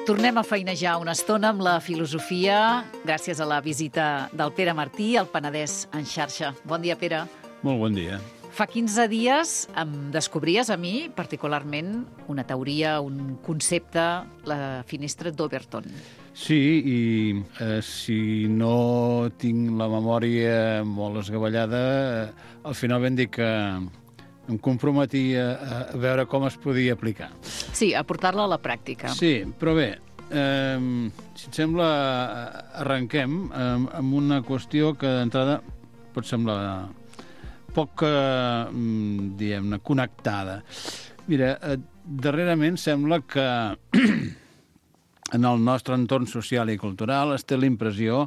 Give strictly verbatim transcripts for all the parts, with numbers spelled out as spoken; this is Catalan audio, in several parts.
Tornem a feinejar una estona amb la filosofia gràcies a la visita del Pere Martí al Penedès en xarxa. Bon dia, Pere. Molt bon dia. Fa quinze dies em descobries a mi, particularment, una teoria, un concepte, la finestra d'Overton. Sí, i eh, si no tinc la memòria molt esgavellada, eh, al final vam dir que em comprometia a veure com es podia aplicar. Sí, a portar-la a la pràctica. Sí, però bé, eh, si et sembla, arrenquem eh, amb una qüestió que d'entrada pot semblar poc, eh, diguem-ne, connectada. Mira, eh, darrerament sembla que en el nostre entorn social i cultural es té la impressió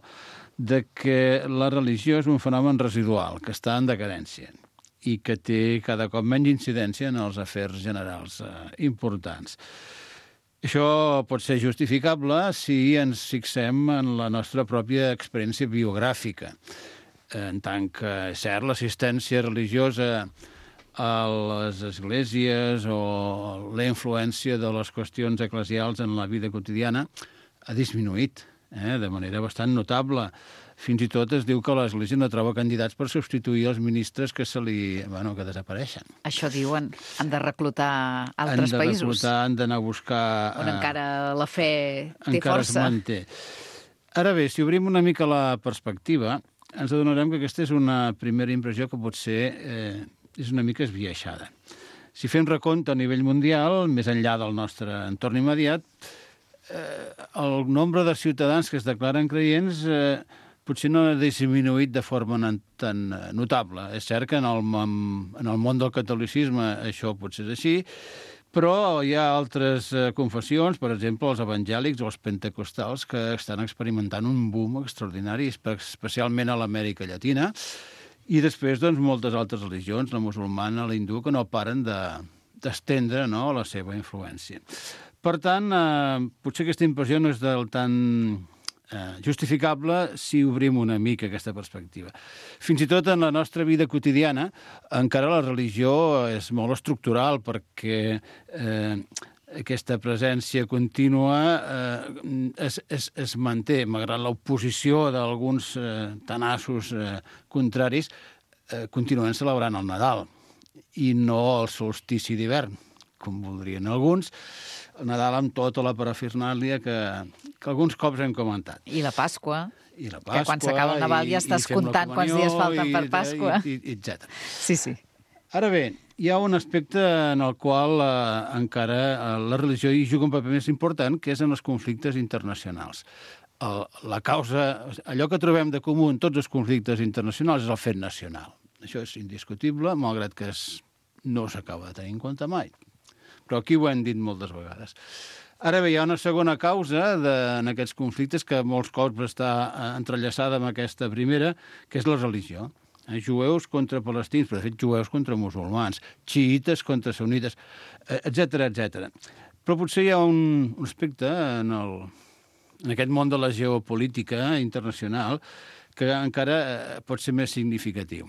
de que la religió és un fenomen residual, que està en decadència i que té cada cop menys incidència en els afers generals eh, importants. Això pot ser justificable si ens fixem en la nostra pròpia experiència biogràfica, en tant que, és cert, l'assistència religiosa a les esglésies o la influència de les qüestions eclesials en la vida quotidiana ha disminuït eh, de manera bastant notable. Fins i tot es diu que l'Església no troba candidats per substituir els ministres que se li, bueno, que desapareixen. Això diuen, han de reclutar altres països. Han de reclutar, han d'anar a buscar... On encara la fe té encara força. Es manté. Ara bé, si obrim una mica la perspectiva, ens adonarem que aquesta és una primera impressió que potser eh, és una mica esbiaixada. Si fem recompte a nivell mundial, més enllà del nostre entorn immediat, eh, el nombre de ciutadans que es declaren creients eh, potser no ha disminuït de forma tan notable. És cert que en el, en el món del catolicisme això potser és així, però hi ha altres confessions, per exemple, els evangèlics o els pentecostals, que estan experimentant un boom extraordinari, especialment a l'Amèrica Llatina, i després doncs, moltes altres religions, la musulmana, la hindú, que no paren d'estendre de, no, la seva influència. Per tant, eh, potser aquesta impressió no és del tan Eh, justificable si obrim una mica aquesta perspectiva. Fins i tot en la nostra vida quotidiana encara la religió és molt estructural perquè eh, aquesta presència contínua eh, es, es, es manté, malgrat l'oposició d'alguns eh, tenaços eh, contraris, eh, continuen celebrant el Nadal i no el solstici d'hivern, com voldrien alguns, el Nadal amb tota la parafernàlia que, que alguns cops hem comentat. I la Pasqua, I la Pasqua que quan s'acaba el Nadal ja estàs comptant quants dies falten per Pasqua. I, i, etcètera. Sí, sí. Ara bé, hi ha un aspecte en el qual eh, encara eh, la religió hi juga un paper més important, que és en els conflictes internacionals. El, la causa, allò que trobem de comú en tots els conflictes internacionals és el fet nacional. Això és indiscutible, malgrat que es, no s'acaba de tenir en compte mai. Però aquí ho hem dit moltes vegades. Ara bé, hi ha una segona causa de, en aquests conflictes que molts cops està entrellaçada amb aquesta primera, que és la religió. Eh, jueus contra palestins, però de fet jueus contra musulmans, xiïtes contra sunnites, etcètera, etcètera. Però potser hi ha un, un aspecte en, el, en aquest món de la geopolítica internacional que encara eh, pot ser més significatiu.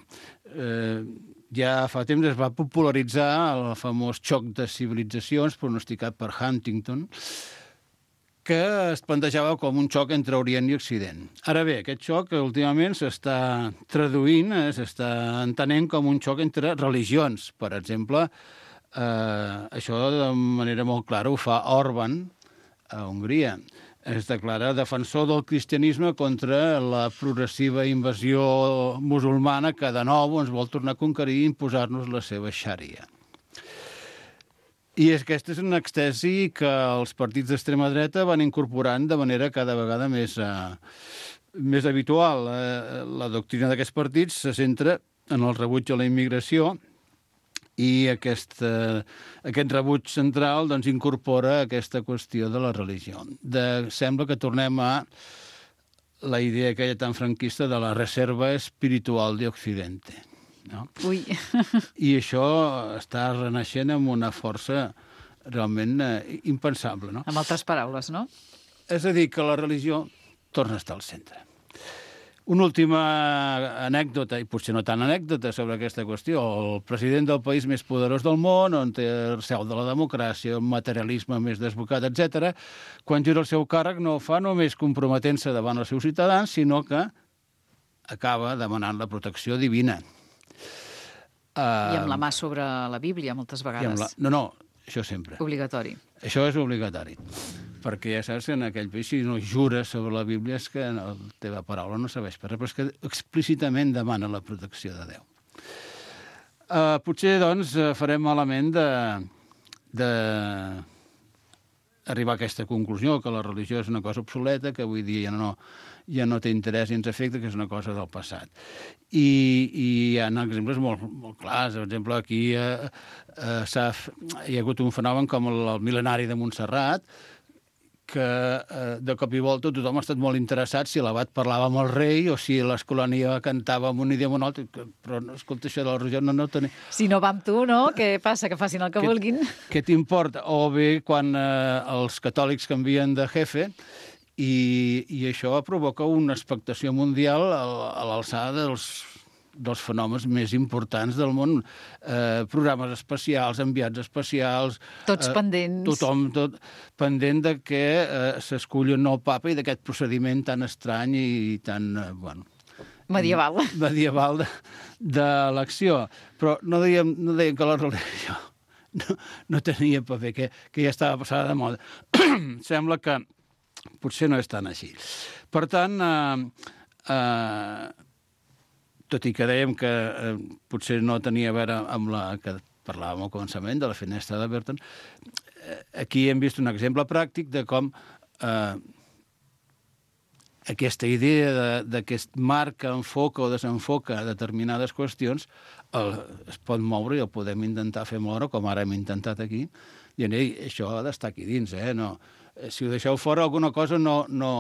Eh, Ja fa temps es va popularitzar el famós xoc de civilitzacions pronosticat per Huntington, que es plantejava com un xoc entre Orient i Occident. Ara bé, aquest xoc últimament s'està traduint, eh, s'està entenent com un xoc entre religions. Per exemple, eh, això de manera molt clara ho fa Orbán a Hongria. Es declara defensor del cristianisme contra la progressiva invasió musulmana que de nou ens vol tornar a conquerir i imposar-nos la seva xària. I és que aquesta és una extesi que els partits d'extrema dreta van incorporant de manera cada vegada més, eh, més habitual. Eh, la doctrina d'aquests partits se centra en el rebuig a la immigració i aquest, eh, aquest rebuig central doncs, incorpora aquesta qüestió de la religió. De, sembla que tornem a la idea aquella tan franquista de la reserva espiritual d'Occidente. No? Ui. I això està renaixent amb una força realment eh, impensable. No? Amb altres paraules, no? És a dir, que la religió torna a estar al centre. Una última anècdota, i potser no tan anècdota, sobre aquesta qüestió. El president del país més poderós del món, on té el seu de la democràcia, el materialisme més desbocat, etcètera, quan jura el seu càrrec no ho fa només comprometent-se davant els seus ciutadans, sinó que acaba demanant la protecció divina. I amb la mà sobre la Bíblia, moltes vegades. La... No, no, això sempre. Obligatori. Això és obligatori. Perquè ja saps que en aquell país, si no jures sobre la Bíblia, és que la teva paraula no serveix per res, però és que explícitament demana la protecció de Déu. Uh, potser, doncs, farem malament de, de arribar a aquesta conclusió, que la religió és una cosa obsoleta, que avui dia ja no, ja no té interès i ens afecta, que és una cosa del passat. I, i hi ha exemples molt, molt clars. Per exemple, aquí uh, uh, hi ha hagut un fenomen com el, el mil·lenari de Montserrat, que eh, de cop i volta tothom ha estat molt interessat si l'abat parlava amb el rei o si l'Escolania cantava en un idioma o un altre, però escolta, això de la religió no, no tenia... Si no va amb tu, no? Què passa? Que facin el que què, vulguin? Què t'importa? O bé quan eh, els catòlics canvien de jefe i, i això provoca una expectació mundial a, a l'alçada dels dels fenòmens més importants del món. Eh, programes especials, enviats especials... Tots eh, pendents. Tothom tot, pendent de que eh, s'esculli un nou papa i d'aquest procediment tan estrany i tan... Eh, bueno, medieval. Medieval d'elecció. Però no dèiem, no dèiem que la religió no, no tenia paper, que, que ja estava passada de moda. Sembla que potser no és tan així. Per tant... Eh, eh, tot i que dèiem que eh, potser no tenia a veure amb la que parlàvem al començament, de la finestra de Burton, eh, aquí hem vist un exemple pràctic de com eh, aquesta idea de, de que es marca, enfoca o desenfoca determinades qüestions el, es pot moure i el podem intentar fer moure, com ara hem intentat aquí, dient, ei, això ha d'estar aquí dins, eh? No, si ho deixeu fora alguna cosa no... no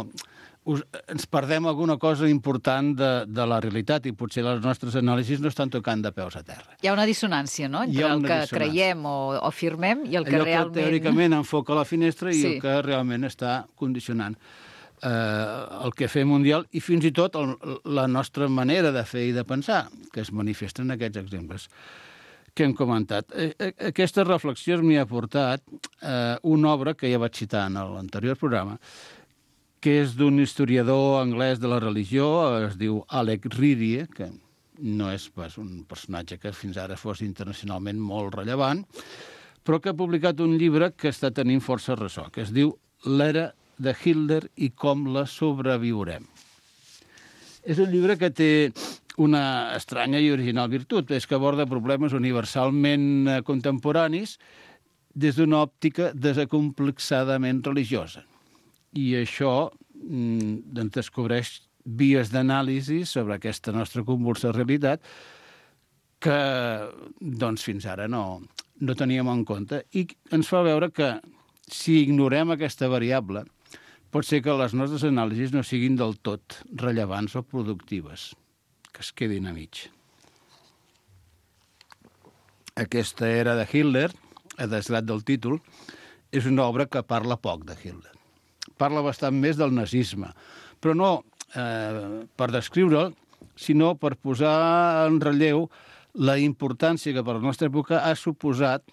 us, ens perdem alguna cosa important de, de la realitat i potser les nostres anàlisis no estan tocant de peus a terra. Hi ha una dissonància, no?, entre el que creiem o, o afirmem i el que allò realment... Allò que teòricament enfoca la finestra i sí. el que realment està condicionant eh, el que fem mundial i fins i tot el, la nostra manera de fer i de pensar, que es manifesta en aquests exemples que hem comentat. Aquestes reflexions m'hi ha portat eh, una obra que ja vaig citar en l'anterior programa, que és d'un historiador anglès de la religió, es diu Alec Readie, que no és pas un personatge que fins ara fos internacionalment molt rellevant, però que ha publicat un llibre que està tenint força ressò, que es diu L'era de Hitler i com la sobreviurem. És un llibre que té una estranya i original virtut, és que aborda problemes universalment contemporanis des d'una òptica desacomplexadament religiosa. I això doncs, descobreix vies d'anàlisi sobre aquesta nostra convulsa realitat que doncs, fins ara no, no teníem en compte i ens fa veure que si ignorem aquesta variable pot ser que les nostres anàlisis no siguin del tot rellevants o productives, que es quedin a mig. Aquesta era de Hitler, a desgrat del títol, és una obra que parla poc de Hitler. Parla bastant més del nazisme, però no eh, per descriure'l, sinó per posar en relleu la importància que per la nostra època ha suposat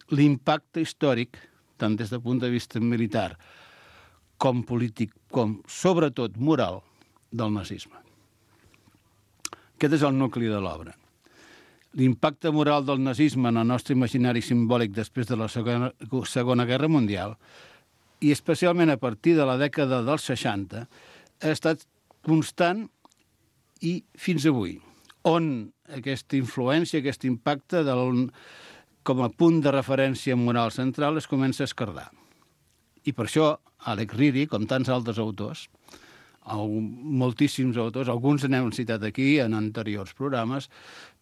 l'impacte històric, tant des del punt de vista militar com polític, com sobretot moral, del nazisme. Aquest és el nucli de l'obra. L'impacte moral del nazisme en el nostre imaginari simbòlic després de la Segona, Segona Guerra Mundial i especialment a partir de la dècada dels seixanta, ha estat constant i fins avui, on aquesta influència, aquest impacte del, com a punt de referència moral central es comença a esquerdar. I per això Alec Readie, com tants altres autors, moltíssims autors, alguns n'hem citat aquí en anteriors programes,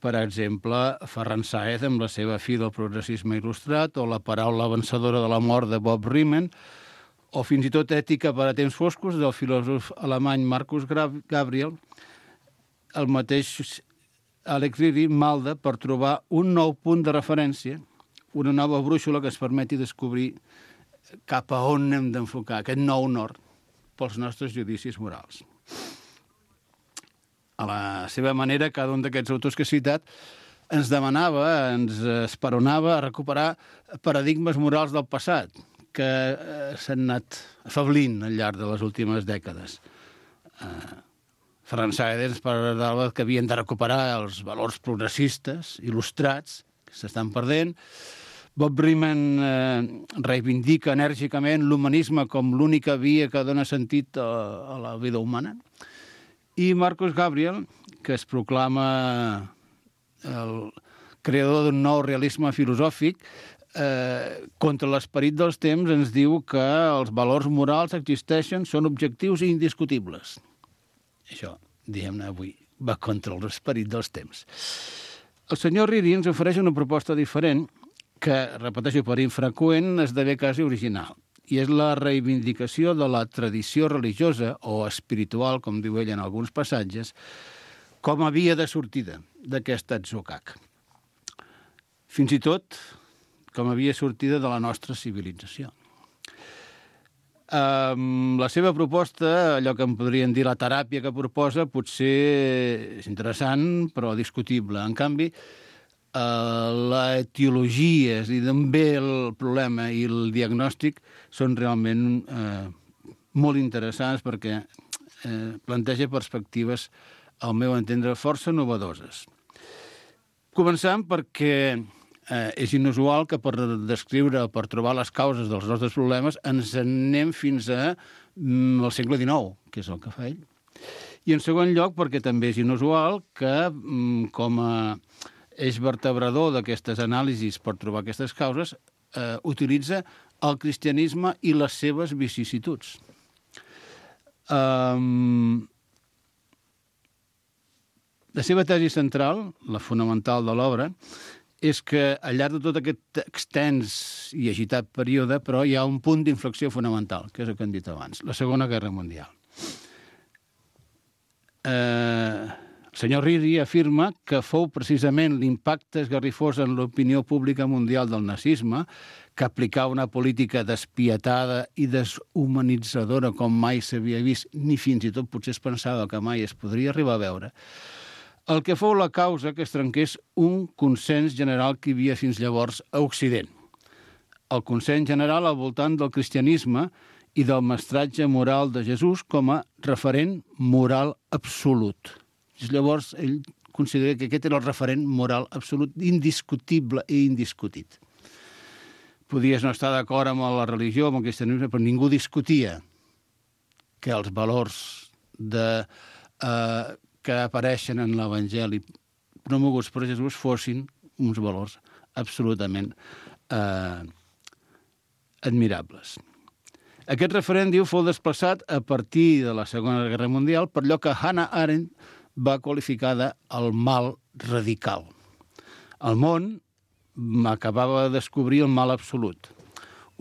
per exemple, Ferran Sáez amb la seva Fi del progressisme il·lustrat, o La paraula vencedora de la mort de Bob Riemann, o fins i tot Ètica per a temps foscos del filòsof alemany Marcus Gabriel, el mateix Alec Readie malda per trobar un nou punt de referència, una nova brúixola que ens permeti descobrir cap a on hem d'enfocar aquest nou nord pels nostres judicis morals. a la seva manera, cada un d'aquests autors que he citat ens demanava, ens esperonava a recuperar paradigmes morals del passat que eh, s'han anat afablint al llarg de les últimes dècades. Eh, Ferran Saavedra ens parlava que havien de recuperar els valors progressistes, il·lustrats, que s'estan perdent. Bob Riemann eh, reivindica enèrgicament l'humanisme com l'única via que dona sentit a, a la vida humana. I Marcus Gabriel, que es proclama el creador d'un nou realisme filosòfic, eh, contra l'esperit dels temps, ens diu que els valors morals existeixen, són objectius i indiscutibles. Això, diguem-ne avui, va contra l'esperit dels temps. El senyor Riri ens ofereix una proposta diferent que, repeteixo, per infreqüent, esdevé quasi original. I és la reivindicació de la tradició religiosa o espiritual, com diu ell en alguns passatges, com a via de sortida d'aquest atzucac. Fins i tot com a via sortida de la nostra civilització. Um, la seva proposta, allò que en podrien dir la teràpia que proposa, potser és interessant, però discutible. En canvi, uh, la etiologia, és a dir, d'on ve el problema i el diagnòstic, són realment uh, molt interessants perquè uh, planteja perspectives, al meu entendre, força novedoses. Començant perquè eh, és inusual que per descriure, per trobar les causes dels nostres problemes, ens anem fins a mm, al segle dinou, que és el que fa ell. I en segon lloc, perquè també és inusual que, mm, com a eix vertebrador d'aquestes anàlisis per trobar aquestes causes, eh, utilitza el cristianisme i les seves vicissituds. Um, La seva tesi central, la fonamental de l'obra, és que al llarg de tot aquest extens i agitat període, però hi ha un punt d'inflexió fonamental, que és el que hem dit abans, la Segona Guerra Mundial. Eh, el senyor Riri afirma que fou precisament l'impacte esgarrifós en l'opinió pública mundial del nazisme, que aplicava una política despietada i deshumanitzadora com mai s'havia vist, ni fins i tot potser es pensava que mai es podria arribar a veure, el que fou la causa que es trenqués un consens general que hi havia fins llavors a Occident. El consens general al voltant del cristianisme i del mestratge moral de Jesús com a referent moral absolut. Llavors, ell considera que aquest era el referent moral absolut, indiscutible i indiscutit. Podies no estar d'acord amb la religió, amb el cristianisme, però ningú discutia que els valors de... Eh, que apareixen en l'Evangeli promoguts per Jesús fossin uns valors absolutament eh, admirables. Aquest referent, diu, fou desplaçat a partir de la Segona Guerra Mundial per allò que Hannah Arendt va qualificar de el mal radical. El món acabava de descobrir el mal absolut.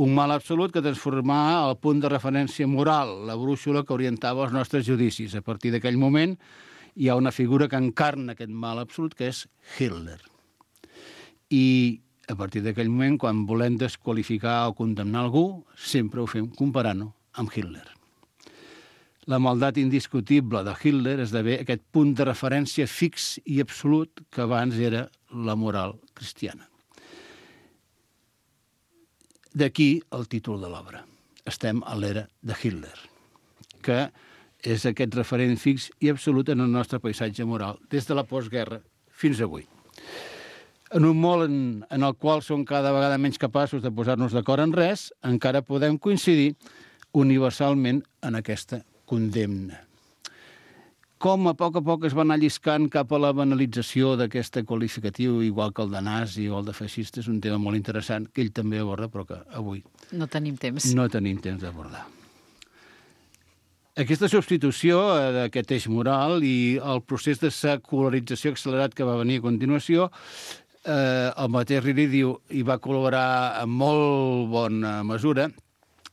Un mal absolut que transformava el punt de referència moral, la brúixola que orientava els nostres judicis. A partir d'aquell moment hi ha una figura que encarna aquest mal absolut, que és Hitler. I a partir d'aquell moment, quan volem desqualificar o condemnar algú, sempre ho fem comparant-ho amb Hitler. La maldat indiscutible de Hitler esdevé aquest punt de referència fix i absolut que abans era la moral cristiana. D'aquí el títol de l'obra. Estem a l'era de Hitler, que és aquest referent fix i absolut en el nostre paisatge moral, des de la postguerra fins avui. En un món en, en el qual som cada vegada menys capaços de posar-nos d'acord en res, encara podem coincidir universalment en aquesta condemna. Com a poc a poc es va anar lliscant cap a la banalització d'aquest qualificatiu, igual que el de nazi o el de feixista, és un tema molt interessant, que ell també aborda, però que avui no tenim temps. No tenim temps d'abordar. Aquesta substitució d'aquest eix moral i el procés de secularització accelerat que va venir a continuació, eh, el mateix Riri diu, i va col·laborar en molt bona mesura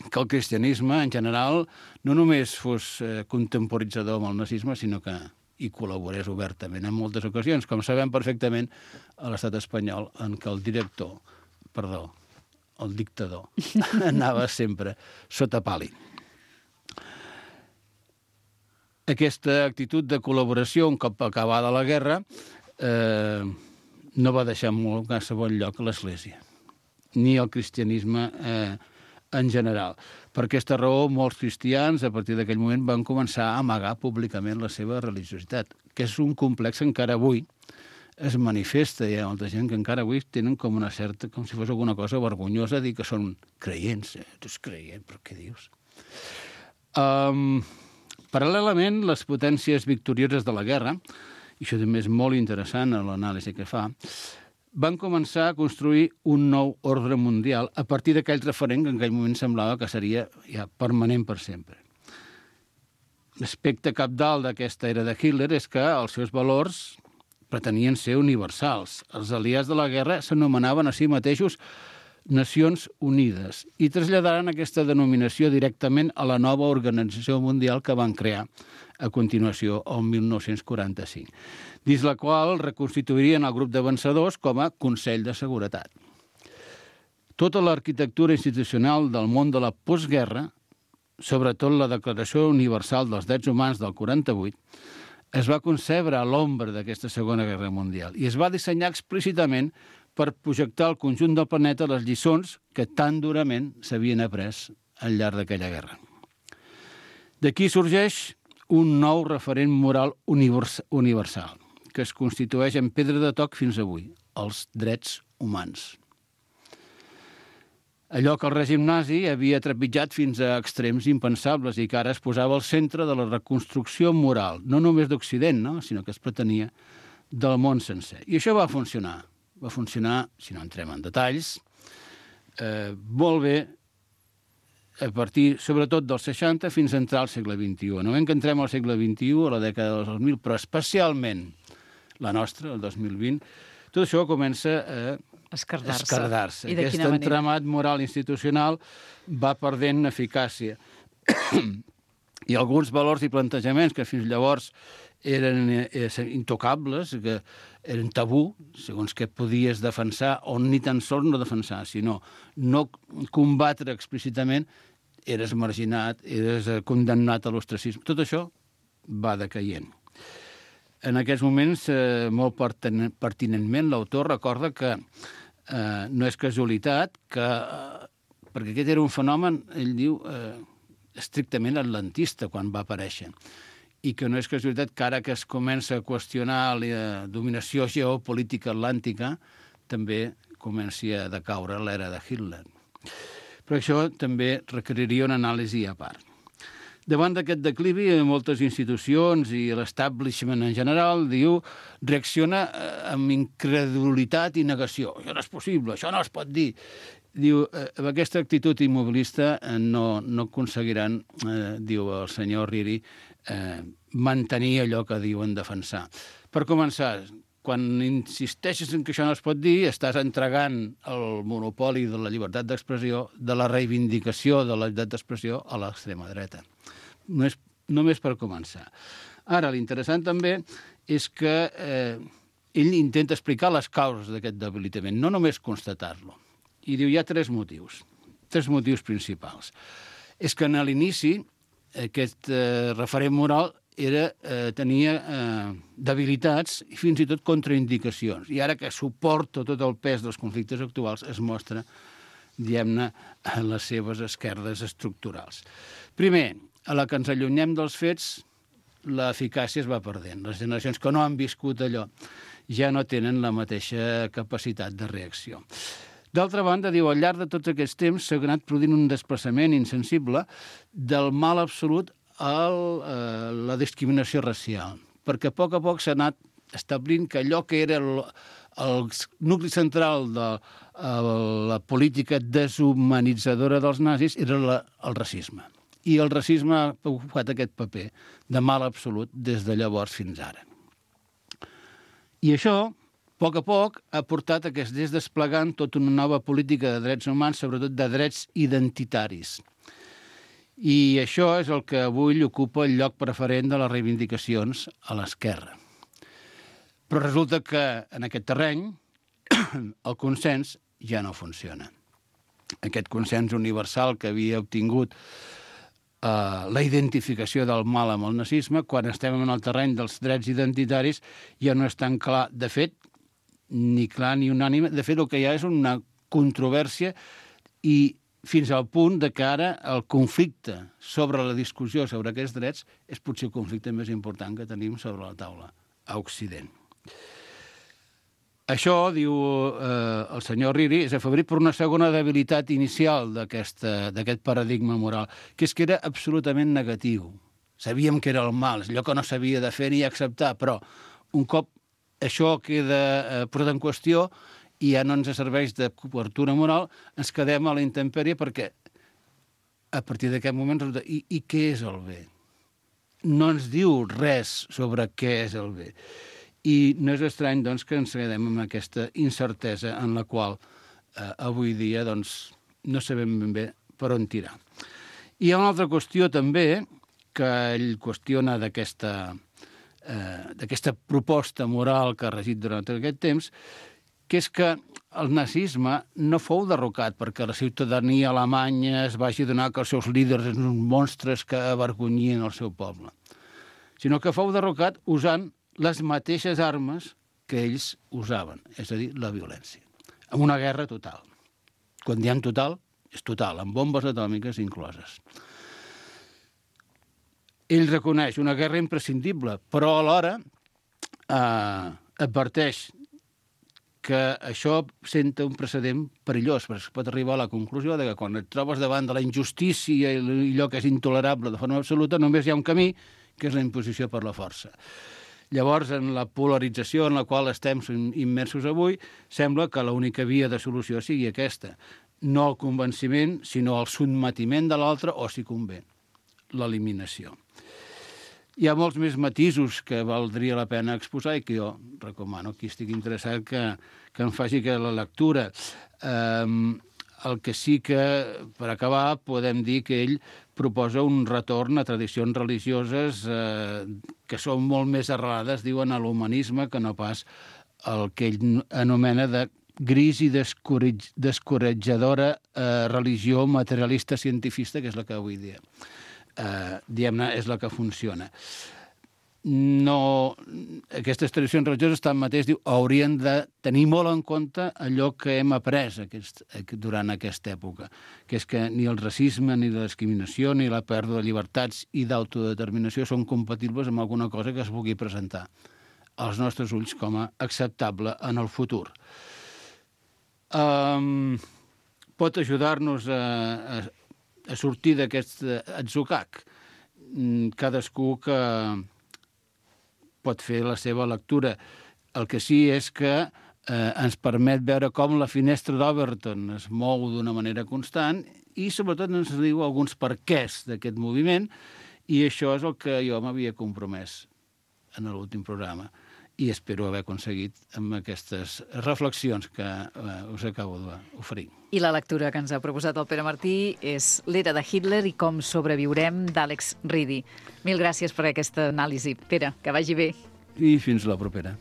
que el cristianisme, en general, no només fos eh, contemporitzador amb el nazisme, sinó que hi col·laborés obertament en moltes ocasions, com sabem perfectament a l'estat espanyol, en què el director, perdó, el dictador, anava sempre sota pàl·lid. Aquesta actitud de col·laboració, un cop acabada la guerra, eh, no va deixar molt a segon lloc l'Església, ni el cristianisme eh, en general. Per aquesta raó, molts cristians, a partir d'aquell moment, van començar a amagar públicament la seva religiositat, que és un complex que encara avui es manifesta. Hi ha molta gent que encara avui tenen com una certa, com si fos alguna cosa vergonyosa dir que són creients. Eh? Tu ets creient, però què dius? Um, paral·lelament, les potències victorioses de la guerra, i això també és molt interessant a l'anàlisi que fa, van començar a construir un nou ordre mundial a partir d'aquell referent que en aquell moment semblava que seria ja permanent per sempre. L'aspecte cabdal d'aquesta era de Hitler és que els seus valors pretenien ser universals. Els aliats de la guerra s'anomenaven a si mateixos Nacions Unides i traslladaren aquesta denominació directament a la nova organització mundial que van crear a continuació, el mil nou-cents quaranta-cinc, dins la qual reconstituirien el grup de vencedors com a Consell de Seguretat. Tota l'arquitectura institucional del món de la postguerra, sobretot la Declaració Universal dels Drets Humans del quaranta-vuit, es va concebre a l'ombra d'aquesta Segona Guerra Mundial i es va dissenyar explícitament per projectar al conjunt del planeta les lliçons que tan durament s'havien après al llarg d'aquella guerra. D'aquí sorgeix un nou referent moral universal, que es constitueix en pedra de toc fins avui, els drets humans. Allò que el règim nazi havia trepitjat fins a extrems impensables i que ara es posava al centre de la reconstrucció moral, no només d'Occident, no? sinó que es pretenia del món sencer. I això va funcionar. Va funcionar, si no entrem en detalls, eh, molt bé a partir, sobretot, dels seixanta fins a entrar al segle vint-i-u. No ben que entrem al segle vint-i-u, a la dècada dels dos mil, però especialment la nostra, el dos mil vint, tot això comença a esquerdar-se. esquerdar-se. Aquest entramat moral institucional va perdent eficàcia. I alguns valors i plantejaments que fins llavors eren eh, intocables, que eren tabú, segons què podies defensar, o ni tan sols no defensar, sinó no combatre explícitament, eres marginat, eres condemnat a l'ostracisme. Tot això va decaient. En aquests moments, eh, molt pertinentment, l'autor recorda que eh, no és casualitat, que, eh, perquè aquest era un fenomen, ell diu, eh, estrictament atlantista quan va aparèixer, i que no és casualitat que ara que es comença a qüestionar la dominació geopolítica atlàntica, també comenci a decaure l'era de Hitler. Però això també requeriria una anàlisi a part. Davant d'aquest declivi, moltes institucions i l'establishment en general, diu, reacciona amb incredulitat i negació. Això no és possible, això no es pot dir. Diu, amb aquesta actitud immobilista no, no aconseguiran, eh, diu el senyor Riri, eh, mantenir allò que diuen defensar. Per començar, quan insisteixes en que això no es pot dir, estàs entregant el monopoli de la llibertat d'expressió, de la reivindicació de la llibertat d'expressió a l'extrema dreta. No és, només per començar. Ara, l'interessant també és que eh, ell intenta explicar les causes d'aquest debilitament, no només constatar-lo. I diu, hi ha tres motius, tres motius principals. És que en l'inici aquest eh, referent moral era, eh, tenia eh, debilitats i fins i tot contraindicacions. I ara que suporta tot el pes dels conflictes actuals es mostra, diguem-ne, en les seves esquerdes estructurals. Primer, a la que ens allunyem dels fets, l'eficàcia es va perdent. Les generacions que no han viscut allò ja no tenen la mateixa capacitat de reacció. D'altra banda, diu, al llarg de tots aquests temps s'ha anat produint un desplaçament insensible del mal absolut a la discriminació racial, perquè a poc a poc s'ha anat establint que allò que era el, el nucli central de la política deshumanitzadora dels nazis era la, el racisme. I el racisme ha ocupat aquest paper de mal absolut des de llavors fins ara. I això, a poc a poc, ha portat a que es des desplegant tota una nova política de drets humans, sobretot de drets identitaris. I això és el que avui ocupa el lloc preferent de les reivindicacions a l'esquerra. Però resulta que en aquest terreny el consens ja no funciona. Aquest consens universal que havia obtingut Uh, la identificació del mal amb el nazisme. Quan estem en el terreny dels drets identitaris ja no és tan clar, de fet, ni clar ni unànime. De fet, el que hi ha és una controvèrsia i fins al punt de que ara el conflicte sobre la discussió sobre aquests drets és potser el conflicte més important que tenim sobre la taula a Occident. Això, diu eh, el senyor Riri, és afebrit per una segona debilitat inicial d'aquest paradigma moral, que és que era absolutament negatiu. Sabíem que era el mal, allò que no s'havia de fer ni acceptar, però un cop això queda eh, posat en qüestió i ja no ens serveix de cobertura moral, ens quedem a la intempèrie perquè a partir d'aquest moment resulta, i, i què és el bé? No ens diu res sobre què és el bé. I no és estrany, doncs, que ens quedem amb aquesta incertesa en la qual eh, avui dia doncs, no sabem ben bé per on tirar. I hi ha una altra qüestió també que ell qüestiona d'aquesta eh, d'aquesta proposta moral que ha regit durant tot aquest temps, que és que el nazisme no fou derrocat perquè la ciutadania alemanya es vagi donar que els seus líders eren uns monstres que avergonyien el seu poble, sinó que fou derrocat usant les mateixes armes que ells usaven, és a dir, la violència. En una guerra total. Quan diem total, és total, amb bombes atòmiques incloses. Ell reconeix una guerra imprescindible, però alhora eh, adverteix que això senta un precedent perillós, perquè es pot arribar a la conclusió de que quan et trobes davant de la injustícia i allò que és intolerable de forma absoluta, només hi ha un camí, que és la imposició per la força. Llavors, en la polarització en la qual estem immersos avui, sembla que l'única via de solució sigui aquesta. No el convenciment, sinó el sotmetiment de l'altre, o, si convé, l'eliminació. Hi ha molts més matisos que valdria la pena exposar i que jo recomano qui estigui interessat que, que em faci que la lectura. Um, el que sí que, per acabar, podem dir que ell proposa un retorn a tradicions religioses eh, que són molt més arrelades, diuen, a l'humanisme que no pas el que ell anomena de gris i descoratjadora eh, religió materialista cientifista, que és la que avui dia, eh, diguem-ne, és la que funciona. No, aquestes tradicions religioses, tanmateix, diu, haurien de tenir molt en compte allò que hem après aquest, durant aquesta època, que és que ni el racisme, ni la discriminació, ni la pèrdua de llibertats i d'autodeterminació són compatibles amb alguna cosa que es pugui presentar als nostres ulls com a acceptable en el futur. Um, pot ajudar-nos a, a, a sortir d'aquest atzucac. Cadascú que pot fer la seva lectura. El que sí és que eh, ens permet veure com la finestra d'Overton es mou d'una manera constant i, sobretot, ens diu alguns perquès d'aquest moviment, i això és el que jo m'havia compromès en l'últim programa i espero haver aconseguit amb aquestes reflexions que eh, us acabo d'oferir. I la lectura que ens ha proposat el Pere Martí és L'era de Hitler i com sobreviurem, d'Àlex Ridi. Mil gràcies per aquesta anàlisi. Pere, que vagi bé. I fins la propera.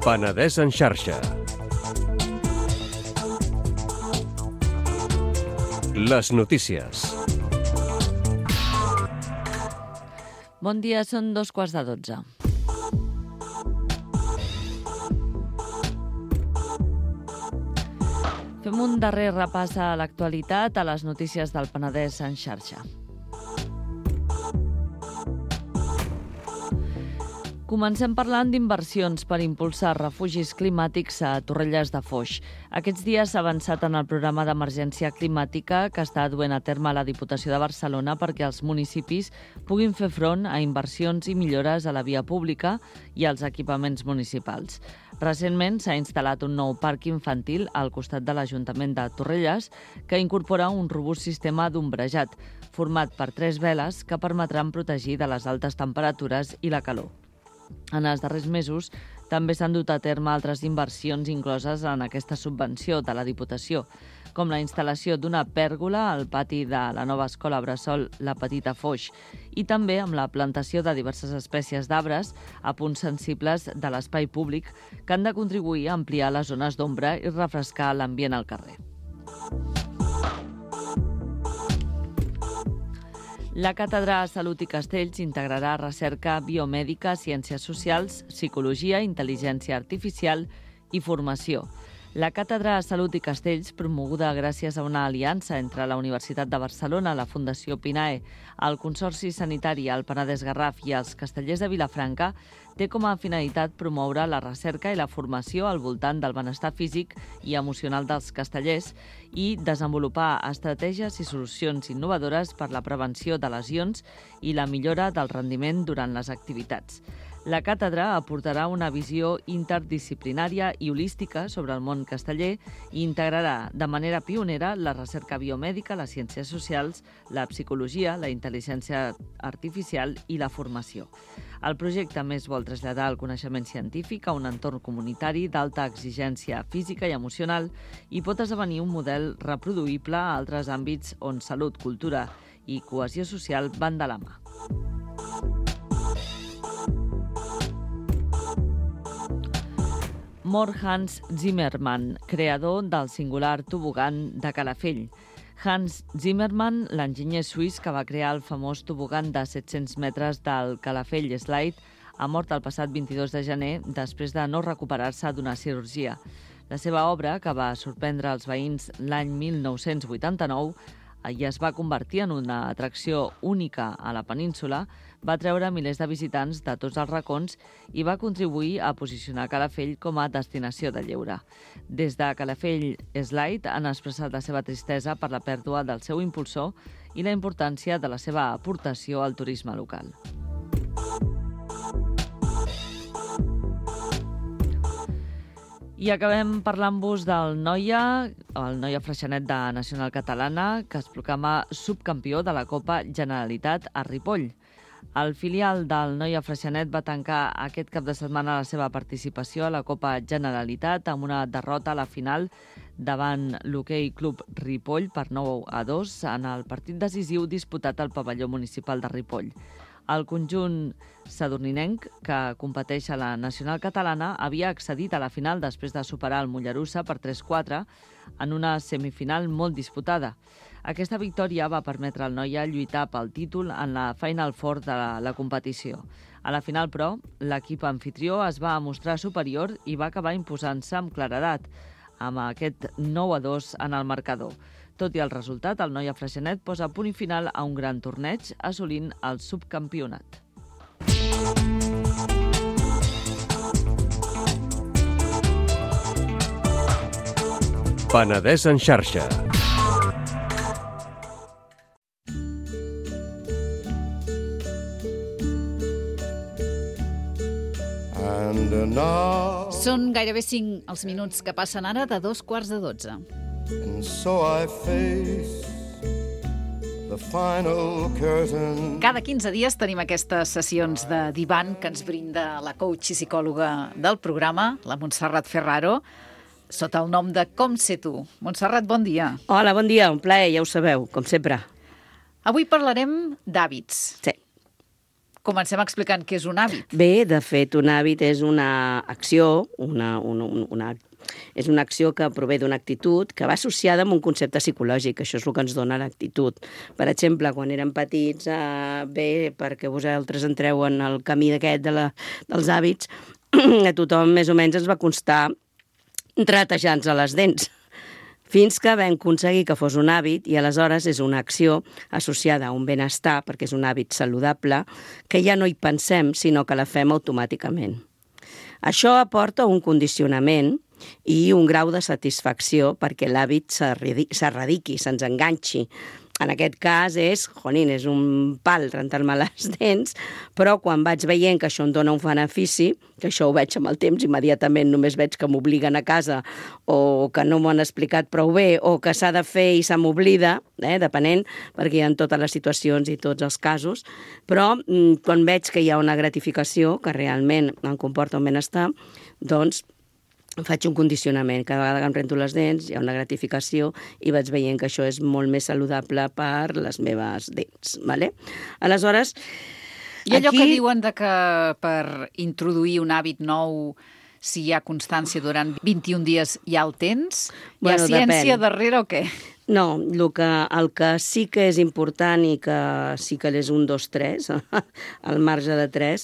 Penedès en xarxa. Les notícies. Bon dia, són dos quarts de dotze. Fem un darrer repàs a l'actualitat a les notícies del Penedès en xarxa. Comencem parlant d'inversions per impulsar refugis climàtics a Torrelles de Foix. Aquests dies s'ha avançat en el programa d'emergència climàtica que està duent a terme la Diputació de Barcelona perquè els municipis puguin fer front a inversions i millores a la via pública i als equipaments municipals. Recentment s'ha instal·lat un nou parc infantil al costat de l'Ajuntament de Torrelles que incorpora un robust sistema d'ombrejat format per tres veles que permetran protegir de les altes temperatures i la calor. En els darrers mesos també s'han dut a terme altres inversions incloses en aquesta subvenció de la Diputació, com la instal·lació d'una pèrgola al pati de la nova escola bressol La Petita Foix i també amb la plantació de diverses espècies d'arbres a punts sensibles de l'espai públic que han de contribuir a ampliar les zones d'ombra i refrescar l'ambient al carrer. La Càtedra Salut i Castells integrarà recerca biomèdica, ciències socials, psicologia, intel·ligència artificial i formació. La Càtedra Salut i Castells, promoguda gràcies a una aliança entre la Universitat de Barcelona, la Fundació Pinae, el Consorci Sanitari al Penedès-Garraf i els Castellers de Vilafranca, té com a finalitat promoure la recerca i la formació al voltant del benestar físic i emocional dels castellers i desenvolupar estratègies i solucions innovadores per la prevenció de lesions i la millora del rendiment durant les activitats. La càtedra aportarà una visió interdisciplinària i holística sobre el món casteller i integrarà de manera pionera la recerca biomèdica, les ciències socials, la psicologia, la intel·ligència artificial i la formació. El projecte més vol traslladar el coneixement científic a un entorn comunitari d'alta exigència física i emocional i pot esdevenir un model reproduïble a altres àmbits on salut, cultura i cohesió social van de la mà. Mor Hans Zimmermann, creador del singular tobogan de Calafell. Hans Zimmermann, l'enginyer suís que va crear el famós tobogan de set-cents metres del Calafell Slide, ha mort el passat vint-i-dos de gener després de no recuperar-se d'una cirurgia. La seva obra, que va sorprendre els veïns l'any mil nou-cents vuitanta-nou i es va convertir en una atracció única a la península, va treure milers de visitants de tots els racons i va contribuir a posicionar Calafell com a destinació de lleure. Des de Calafell Slide han expressat la seva tristesa per la pèrdua del seu impulsor i la importància de la seva aportació al turisme local. I acabem parlant-vos del Noia, el Noia Freixenet de Nacional Catalana, que es proclama subcampió de la Copa Generalitat a Ripoll. El filial del Noia Freixenet va tancar aquest cap de setmana la seva participació a la Copa Generalitat amb una derrota a la final davant l'Hoquei Club Ripoll per nou a dos en el partit decisiu disputat al pavelló municipal de Ripoll. El conjunt sadurninenc, que competeix a la Nacional Catalana, havia accedit a la final després de superar el Mollerussa per tres quatre en una semifinal molt disputada. Aquesta victòria va permetre al Noia lluitar pel títol en la Final Four de la, la competició. A la final, però, l'equip anfitrió es va mostrar superior i va acabar imposant-se amb claredat, amb aquest nou a dos en el marcador. Tot i el resultat, el Noia Freixenet posa punt i final a un gran torneig, assolint el subcampionat. Penedès en xarxa. Són gairebé cinc els minuts que passen ara de dos quarts de dotze. And so I face the final curtain. Cada quinze dies tenim aquestes sessions de divan que ens brinda la coach i psicòloga del programa, la Montserrat Ferraro, sota el nom de Com ser tu. Montserrat, bon dia. Hola, bon dia, un plaer, ja ho sabeu, com sempre. Avui parlarem d'hàbits. Sí. Comencem explicant què és un hàbit. Bé, de fet, un hàbit és una acció, una, una, una, és una acció que prové d'una actitud que va associada amb un concepte psicològic. Això és el que ens dona l'actitud. Per exemple, quan érem petits, eh, bé, perquè vosaltres entreu en el camí d'aquest de la, dels hàbits, a tothom més o menys ens va constar ratejant-se les dents. fins que vam aconseguir que fos un hàbit i aleshores és una acció associada a un benestar, perquè és un hàbit saludable, que ja no hi pensem, sinó que la fem automàticament. Això aporta un condicionament i un grau de satisfacció perquè l'hàbit s'erradiqui, se'ns enganxi. En aquest cas és, jonin, és un pal rentar-me les dents, però quan vaig veient que això em dona un benefici, que això ho veig amb el temps, immediatament només veig que m'obliguen a casa o que no m'ho han explicat prou bé o que s'ha de fer i se m'oblida, eh, depenent, perquè hi ha totes les situacions i tots els casos, però quan veig que hi ha una gratificació que realment em comporta un benestar, doncs faig un condicionament. Cada vegada que em rento les dents hi ha una gratificació i vaig veient que això és molt més saludable per les meves dents. Vale? Aleshores, I allò aquí... que diuen de que per introduir un hàbit nou, si hi ha constància durant vint-i-un dies, ja el tens? Hi ha Bueno, ciència depèn. darrere o què? No, el que, el que sí que és important i que sí que és un, dos, tres, al marge de tres,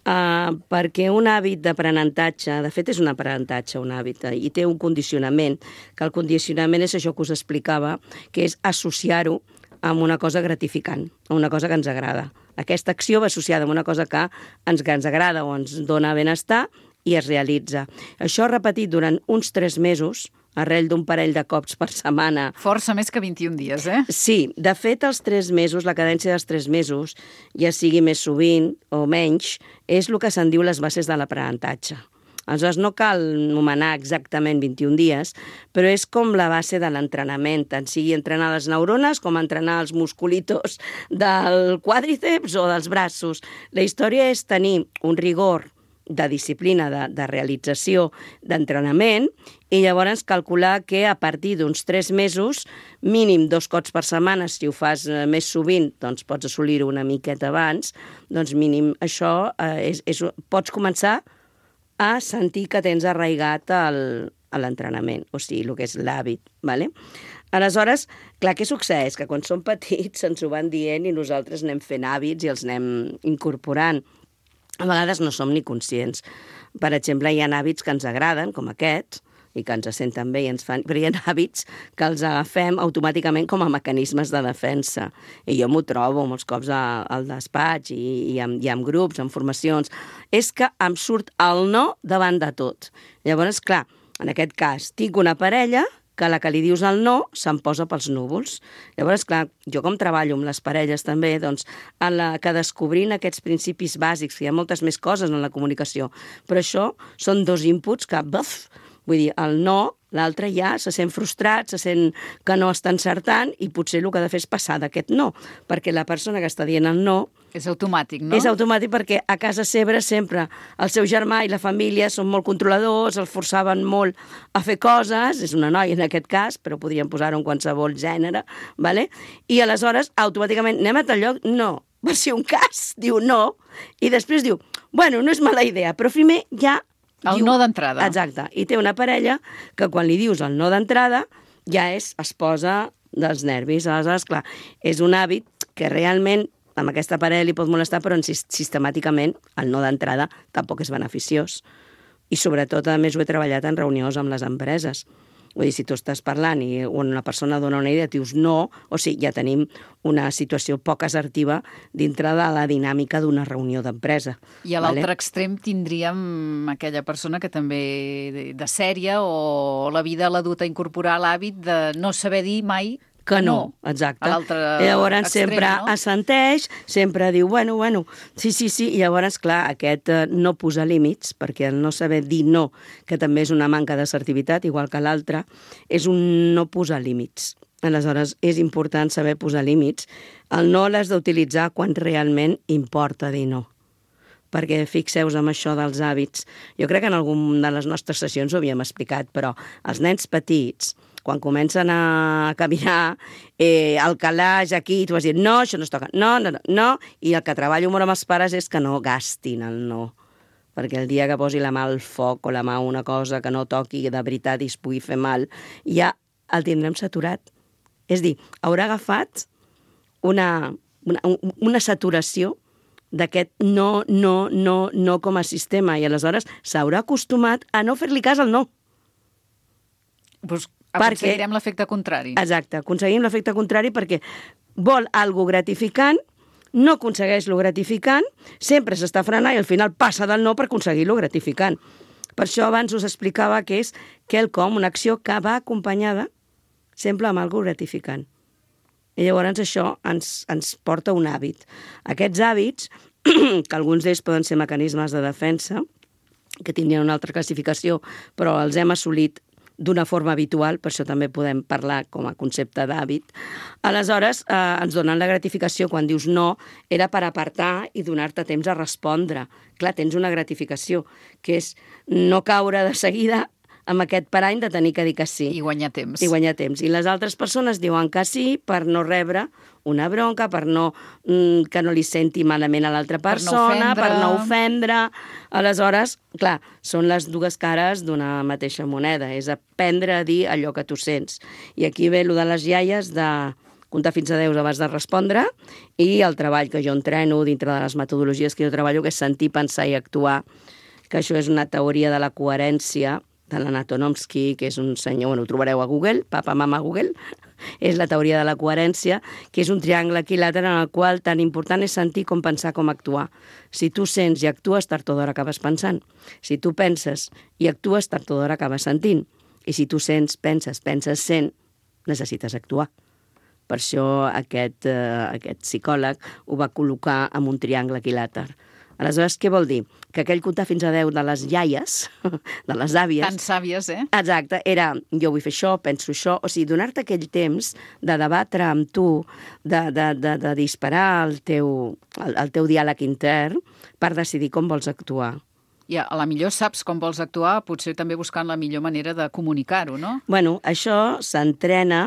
eh, perquè un hàbit d'aprenentatge, de fet és un aprenentatge, un hàbit, eh, i té un condicionament, que el condicionament és això que us explicava, que és associar-ho amb una cosa gratificant, amb una cosa que ens agrada. Aquesta acció va associada amb una cosa que ens, que ens agrada o ens dona benestar i es realitza. Això repetit durant uns tres mesos, arrel d'un parell de cops per setmana. Força més que vint-i-un dies, eh? Sí, de fet, els tres mesos, la cadència dels tres mesos, ja sigui més sovint o menys, és el que se'n diu les bases de l'aprenentatge. Aleshores, no cal nomenar exactament vint-i-un dies, però és com la base de l'entrenament, tant sigui entrenar les neurones com entrenar els musculitos del quàdriceps o dels braços. La història és tenir un rigor de disciplina, de, de realització, d'entrenament, i llavors calcular que a partir d'uns tres mesos, mínim dos cops per setmana, si ho fas més sovint, doncs pots assolir-ho una miqueta abans, doncs mínim això, eh, és, és, pots començar a sentir que tens arraigat el, a l'entrenament, o sigui, el que és l'hàbit, ¿vale? Aleshores, clar, què succeeix? Que quan som petits ens ho van dient i nosaltres anem fent hàbits i els anem incorporant. A vegades no som ni conscients. Per exemple, hi ha hàbits que ens agraden, com aquests, i que ens senten bé i ens fan... Però hi ha hàbits que els agafem automàticament com a mecanismes de defensa. I jo m'ho trobo molts cops al despatx i, i, amb, i amb grups, en formacions. És que em surt el no davant de tot. Llavors, clar, en aquest cas, tinc una parella que a la que li dius el no se'n posa pels núvols. Llavors, clar, jo com treballo amb les parelles també, doncs, en la que descobrint aquests principis bàsics, que hi ha moltes més coses en la comunicació, però això són dos inputs que, buf, vull dir, el no, l'altre ja se sent frustrat, se sent que no està encertant i potser el que ha de fer és passar d'aquest no, perquè la persona que està dient el no és automàtic, no? És automàtic perquè a casa seva sempre el seu germà i la família són molt controladors, el forçaven molt a fer coses, és una noia en aquest cas, però podríem posar-ho en qualsevol gènere, ¿vale? I aleshores automàticament anem a tal lloc, no, per si un cas diu no, i després diu, bueno, no és mala idea, però primer ja El diu, no d'entrada. Exacte. I té una parella que quan li dius el no d'entrada ja és, es posa dels nervis. Aleshores, clar, és un hàbit que realment amb aquesta parella li pot molestar, però sistemàticament el no d'entrada tampoc és beneficiós. I sobretot, a més, ho he treballat en reunions amb les empreses. Vull dir, si tu estàs parlant i una persona dona una idea, dius no, o sigui, ja tenim una situació poc assertiva dintre de la dinàmica d'una reunió d'empresa. I a l'altre vale? extrem tindríem aquella persona que també de, de sèrie o la vida l'ha dut a incorporar l'hàbit de no saber dir mai que no, exacte. A l'altre I llavors extrem, sempre no? assenteix, sempre diu, bueno, bueno, sí, sí, sí, i llavors, clar, aquest eh, no posar límits, perquè el no saber dir no, que també és una manca d'assertivitat, igual que l'altre, és un no posar límits. Aleshores, és important saber posar límits. El no l'has d'utilitzar quan realment importa dir no. Perquè fixeu-vos amb això dels hàbits. Jo crec que en alguna de les nostres sessions ho havíem explicat, però els nens petits, quan comencen a caminar, eh, el calaix aquí, tu vas dir, no, això no es toca, no, no, no, no, i el que treballo molt amb els pares és que no gastin el no, perquè el dia que posi la mà al foc o la mà a una cosa que no toqui de veritat i es pugui fer mal, ja el tindrem saturat. És dir, haurà agafat una, una, una saturació d'aquest no, no, no, no com a sistema, i aleshores s'haurà acostumat a no fer-li cas al no. Pues Aconseguirem l'efecte contrari. Exacte, aconseguim l'efecte contrari perquè vol algo gratificant, no aconsegueix lo gratificant, sempre s'està frenant i al final passa del no per aconseguir lo gratificant. Per això abans us explicava que és quelcom, una acció que va acompanyada sempre amb algo gratificant. I llavors això ens, ens porta un hàbit. Aquests hàbits, que alguns d'ells poden ser mecanismes de defensa, que tindrien una altra classificació, però els hem assolit d'una forma habitual, per això també podem parlar com a concepte d'hàbit. Aleshores, eh, ens donen la gratificació quan dius no, era per apartar i donar-te temps a respondre. Clar, tens una gratificació, que és no caure de seguida amb aquest parany de tenir que dir que sí. I guanyar temps. I guanyar temps. I les altres persones diuen que sí per no rebre una bronca, per no, mm, que no li senti malament a l'altra persona, per no, per no ofendre. Aleshores, clar, són les dues cares d'una mateixa moneda. És aprendre a dir allò que tu sents. I aquí ve allò de les iaies de comptar fins a deu abans de respondre i el treball que jo entreno dintre de les metodologies que jo treballo, que és sentir, pensar i actuar, que això és una teoria de la coherència de l'Anatonomsky, que és un senyor, bueno, ho trobareu a Google, papa, mama, Google, és la teoria de la coherència, que és un triangle equilàter en el qual tan important és sentir com pensar, com actuar. Si tu sents i actues, tard o d'hora acabes pensant. Si tu penses i actues, tard o d'hora acabes sentint. I si tu sents, penses, penses, sent, necessites actuar. Per això aquest, eh, aquest psicòleg ho va col·locar en un triangle equilàter. Aleshores, què vol dir? Que aquell comptar fins a deu de les iaies, de les àvies... Tan sàvies, eh? Exacte, era jo vull fer això, penso això, o sigui, donar-te aquell temps de debatre amb tu, de, de, de, de disparar el teu, el, el teu diàleg intern per decidir com vols actuar. I a la millor saps com vols actuar, potser també buscant la millor manera de comunicar-ho, no? Bueno, això s'entrena,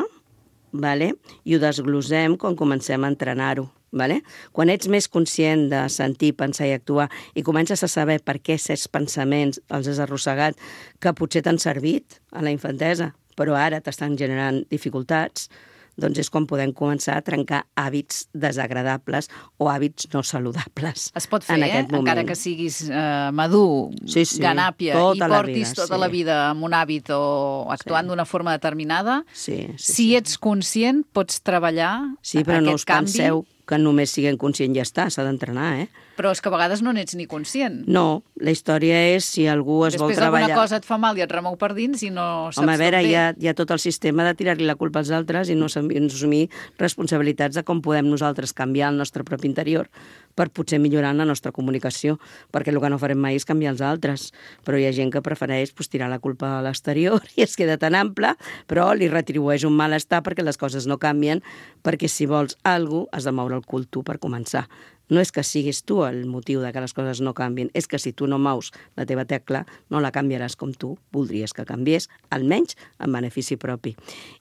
vale? I ho desglosem quan comencem a entrenar-ho. Vale? Quan ets més conscient de sentir, pensar i actuar i comences a saber per què certs pensaments els has arrossegat, que potser t'han servit a la infantesa, però ara t'estan generant dificultats, doncs és quan podem començar a trencar hàbits desagradables o hàbits no saludables. Es pot fer, eh? Encara que siguis eh, madur, sí, sí, ganàpia, i portis vida, tota sí. la vida amb un hàbit o actuant sí. d'una forma determinada, sí, sí, si sí. ets conscient pots treballar sí, però aquest no us canvi. Penseu que només siguem conscients i ja està, s'ha d'entrenar, eh? Però és que a vegades no n'ets ni conscient. No, la història és si algú es Després vol treballar... Després alguna cosa et fa mal i et remou per dins i no saps Home, a veure, bé. hi ha, hi ha tot el sistema de tirar-li la culpa als altres i no assumir responsabilitats de com podem nosaltres canviar el nostre propi interior per potser millorar la nostra comunicació, perquè el que no farem mai és canviar els altres. Però hi ha gent que prefereix pues, tirar la culpa a l'exterior i es queda tan ample, però li retribueix un malestar perquè les coses no canvien, perquè si vols alguna cosa has de moure el cul tu per començar. No és que siguis tu el motiu de que les coses no canvien, és que si tu no mous la teva tecla, no la canviaràs com tu voldries que canviés, almenys en benefici propi.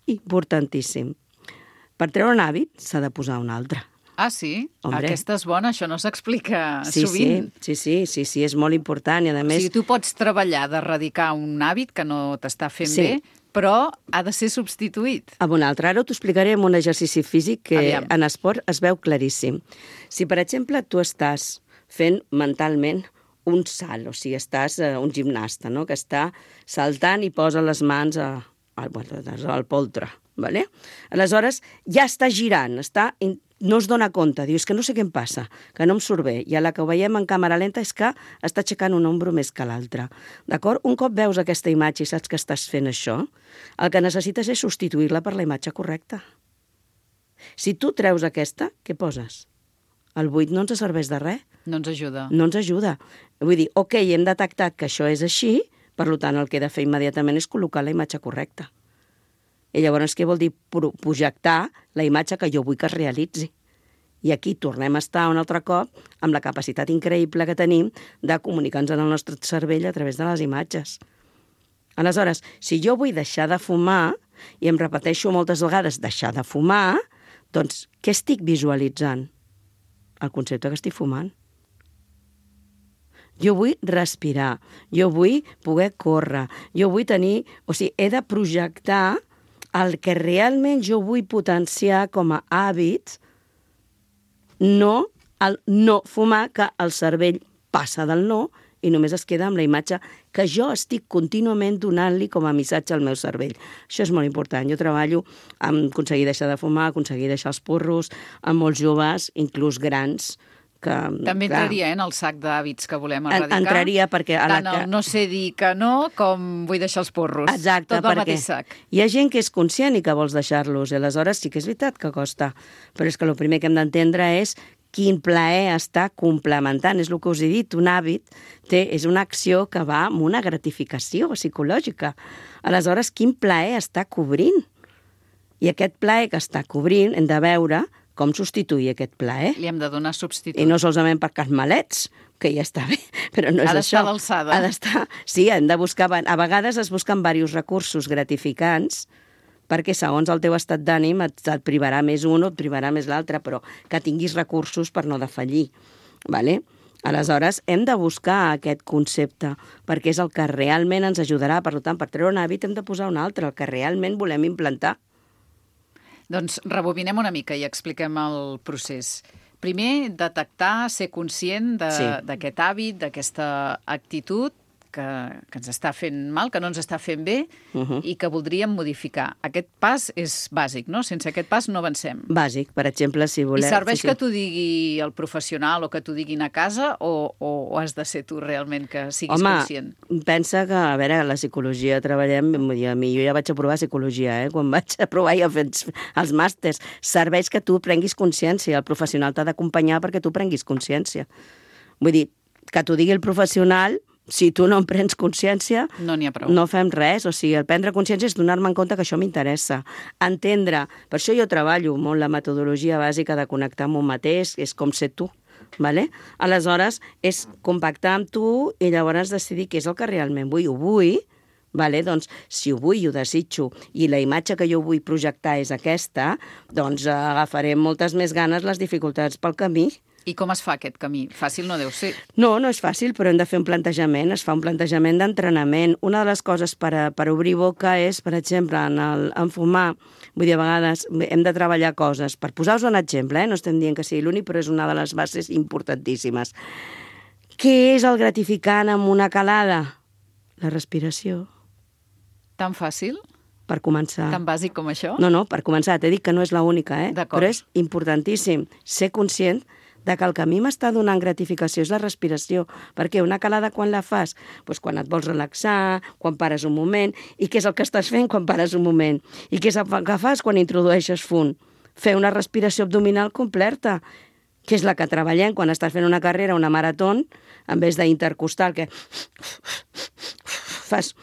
Importantíssim. Per treure un hàbit s'ha de posar un altre. Ah, sí? Hombre. Aquesta és bona, això no s'explica sí, sovint. Sí, sí, sí, sí, sí, és molt important i a més... O sigui, tu pots treballar d'erradicar un hàbit que no t'està fent sí. bé, però ha de ser substituït. Amb un altre. Ara t'ho explicaré amb un exercici físic que Aviam. En esport es veu claríssim. Si, per exemple, tu estàs fent mentalment un salt, o sigui, estàs uh, un gimnasta, no?, que està saltant i posa les mans a, al, al poltre, ¿vale? Aleshores, ja està girant, està... no es dona compte, diu, és que no sé què em passa, que no em surt bé, i a la que ho veiem en càmera lenta és que està aixecant un ombro més que l'altre. D'acord? Un cop veus aquesta imatge i saps que estàs fent això, el que necessites és substituir-la per la imatge correcta. Si tu treus aquesta, què poses? El buit no ens serveix de res. No ens ajuda. No ens ajuda. Vull dir, ok, hem detectat que això és així, per tant, el que he de fer immediatament és col·locar la imatge correcta. I llavors què vol dir? Projectar la imatge que jo vull que es realitzi. I aquí tornem a estar un altre cop amb la capacitat increïble que tenim de comunicar-nos en el nostre cervell a través de les imatges. Aleshores, si jo vull deixar de fumar, i em repeteixo moltes vegades deixar de fumar, doncs què estic visualitzant? El concepte que estic fumant. Jo vull respirar, jo vull poder córrer, jo vull tenir... O sigui, he de projectar el que realment jo vull potenciar com a hàbit, no el no fumar, que el cervell passa del no i només es queda amb la imatge que jo estic contínuament donant-li com a missatge al meu cervell. Això és molt important. Jo treballo amb aconseguir deixar de fumar, aconseguir deixar els porros, amb molts joves, inclús grans, que... També entraria eh, en el sac d'hàbits que volem erradicar. Entraria perquè... A la Tant que... el no sé dir que no, com vull deixar els porros. Exacte, tot al perquè mateix sac. hi ha gent que és conscient i que vols deixar-los, i aleshores sí que és veritat que costa. Però és que el primer que hem d'entendre és quin plaer està complementant. És el que us he dit, un hàbit té, és una acció que va amb una gratificació psicològica. Aleshores, quin plaer està cobrint? I aquest plaer que està cobrint hem de veure com substituir aquest plaer. Li hem de donar substitut. I no solament per carmelets, que ja està bé, però no és ha això. Ha d'estar a l'alçada. Ha d'estar... Sí, hem de buscar... A vegades es busquen diversos recursos gratificants perquè segons el teu estat d'ànim et, et privarà més un o et privarà més l'altre, però que tinguis recursos per no defallir. Vale? Aleshores, hem de buscar aquest concepte, perquè és el que realment ens ajudarà. Per tant, per treure un hàbit hem de posar un altre, el que realment volem implantar. Doncs rebobinem una mica i expliquem el procés. Primer, detectar, ser conscient d'aquest sí. hàbit, d'aquesta actitud que, que ens està fent mal, que no ens està fent bé uh -huh. i que voldríem modificar. Aquest pas és bàsic, no? Sense aquest pas no avancem. Bàsic, per exemple, si volem... I serveix sí, sí. que t'ho digui el professional o que t'ho diguin a casa o, o, o has de ser tu realment que siguis Home, conscient? Home, pensa que, a veure, la psicologia treballem... A mi, jo ja vaig aprovar psicologia, eh? Quan vaig aprovar ja fer els màsters. Serveix que tu prenguis consciència. El professional t'ha d'acompanyar perquè tu prenguis consciència. Vull dir, que t'ho digui el professional... Si tu no en prens consciència, no n'hi ha prou. No fem res. O sigui, el prendre consciència és donar-me en compte que això m'interessa. Entendre. Per això jo treballo molt la metodologia bàsica de connectar amb un mateix, és com ser tu. Vale? Aleshores, és compactar amb tu i llavors decidir què és el que realment vull. Ho vull, vale? Doncs si ho vull i ho desitjo i la imatge que jo vull projectar és aquesta, doncs agafaré moltes més ganes les dificultats pel camí. I com es fa aquest camí? Fàcil no deu ser. No, no és fàcil, però hem de fer un plantejament. Es fa un plantejament d'entrenament. Una de les coses per, a, per obrir boca és, per exemple, en, el, en fumar. Vull dir, a vegades hem de treballar coses. Per posar-vos un exemple, eh? No estem dient que sigui l'únic, però és una de les bases importantíssimes. Què és el gratificant amb una calada? La respiració. Tan fàcil? Per començar. Tan bàsic com això? No, no, per començar. T'he dit que no és l'única, eh? D'acord. Però és importantíssim ser conscient de que el que a mi m'està donant gratificació és la respiració. Perquè una calada quan la fas? Doncs quan et vols relaxar, quan pares un moment. I què és el que estàs fent quan pares un moment? I què és el que fas quan introdueixes fum? Fer una respiració abdominal completa, que és la que treballem quan estàs fent una carrera, una marató, en vez d'intercostal, que fas...